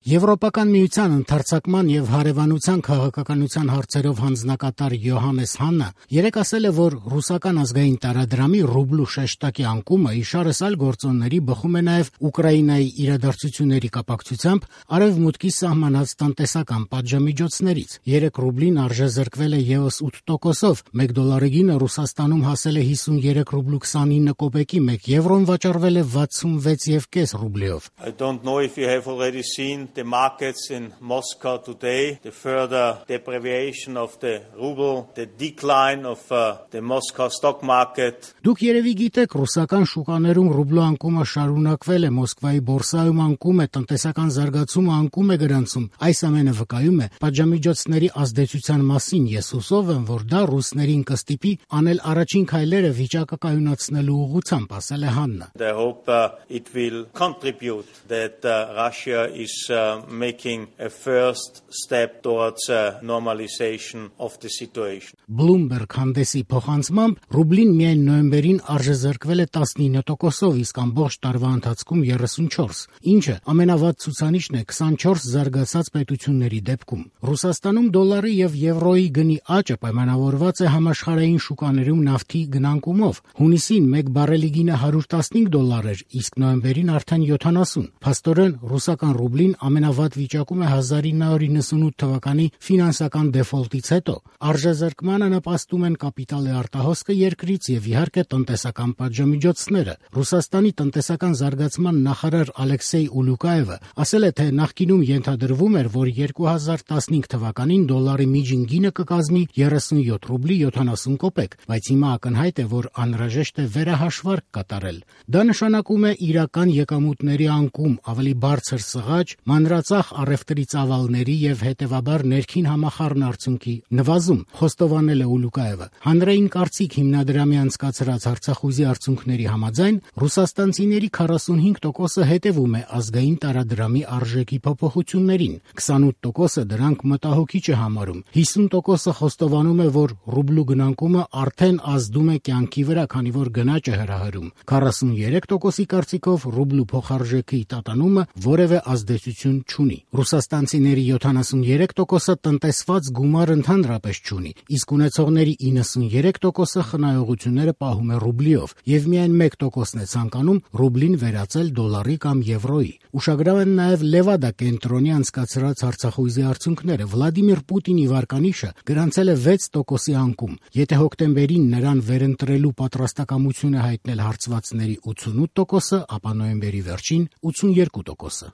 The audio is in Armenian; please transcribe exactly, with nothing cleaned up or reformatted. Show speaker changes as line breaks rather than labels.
Եվրոպական միության ընդարձակման եւ հարևանության քաղաքականության հարցերով հանձնակատար Յոհաննես Հաննը երեկ ասել է, որ ռուսական ազգային տարադրամի ռուբլու շեշտակի անկումը իշարս այլ գործոնների բխում է նաեւ Ուկրաինայի իրադարձությունների կապակցությամբ արևմուտքի սահմանած տնտեսական պատժամիջոցներից։ Երեկ ռուբլին արժեզրկվել է եւս ութ տոկոսով, մեկ դոլարի գինը Ռուսաստանում հասել է հիսունյերեք ռուբլու քսանինը կոպեկի, մեկ եվրոն վաճառվել է վաթսունվեց եւ կես ռուբլիով։
I don't know if you have already seen the markets in Moscow today, the further depreciation of the ruble, the decline of uh, the Moscow stock market.
Դուք երևի գիտեք, ռուսական շուկաներում ռուբլու անկումը շարունակվել է, Մոսկվայի բորսայում անկում է, տնտեսական զարգացումը անկում է գրանցում։ Այս ամենը վկայում է պատժամիջոցների ազդեցության մասին։ Ես հուսով եմ, որ դա ռուսներին կստիպի անել առաջին քայլերը վիճակը կայունացնելու ուղղությամբ, ասել է Հաննը։
I hope uh, it will contribute that uh, Russia is uh, making a first step towards a normalization of the situation.
Bloomberg հանդեսի փոխանցմամբ ռուբլին միայն նոյեմբերին արժեզրկվել է տասնինը տոկոսով, իսկ ամբողջ տարվա ընթացքում երեսունչորս, ինչը ամենավատ ցուցանիշն է քսանչորս զարգացած պետությունների դեպքում։ Ռուսաստանում դոլարի եւ եվրոյի գնի աճը պայմանավորված է համաշխարհային շուկաներում նավթի գնանկումով։ Հունիսին մեկ բարելի գինը հարյուր տասնհինգ դոլար էր, իսկ նոյեմբերին արդեն յոթանասուն։ Փաստորեն ռուսական ռուբլին ամենավատ վիճակում է հազար ինը հարյուր իննսունութ թվականի ֆինանսական դեֆոլտից հետո։ Արժեզրկմանը նպաստում են կապիտալի արտահոսքը երկրից եւ իհարկե տնտեսական պատժամիջոցները։ Ռուսաստանի տնտեսական զարգացման նախարար Ալեքսեյ Ուլուկաևը ասել է, թե նախկինում ենթադրվում էր, որ երկու հազար տասնհինգ թվականին դոլարի միջին գինը կկազմի երեսունյոթ ռուբլի յոթանասուն կոպեկ, բայց հիմա ակնհայտ է, որ անհրաժեշտ է վերահաշվարկ կատարել։ Դա նշանակում է իրական եկամուտների անկում, ավելի բարձր սղաճ, մանրածախ առևտրի ծավալների եւ հետեւաբար ներքին համախառնարդյունքի նվազում, խոստովանել է Ուլուկաևը։ Հանրային կարծիք հիմնադրամի անցկացրած հարցախուզի արդյունքների համաձայն ռուսաստանցիների քառասունհինգ տոկոսը հետևում է ազգային տարադրամի արժեքի փոփոխություններին, քսանութ տոկոսը դրանք մտահոգիչ է համարում, հիսուն տոկոսը խոստովանում է, որ ռուբլու գնանկումը արդեն ազդում է կյանքի վրա, քանի որ գնաճ է հրահրում։ քառասունյերեք տոկոսի կարծիքով ռուբլու փոխարժեքի տատանումը որևէ ազդեցություն չունի։ Ռուսաստանցիների յոթանասունյերեք տոկոսը տնտեսված գումար ընդհանրապես չունի, իսկ ունեցողների իննսունյերեք տոկոսը խնայողությունները պահում է ռուբլիով, եւ միայն մեկ տոկոսն է ցանկանում ռուբլին վերածել դոլարի կամ եվրոյի։ Ուշագրավ են նաեւ Լևադա կենտրոնի անցկացրած հարցախույզի արդյունքները։ Վլադիմիր Պուտինի վարկանիշը գրանցել է վեց տոկոսի անկում։ Եթե հոկտեմբերին նրան վերընտրելու պատրաստակամություն է հայտնել հարցվածների ութսունութ տոկոսը, ապա նոյեմբերի վերջին ութսունյերկու տոկոսը։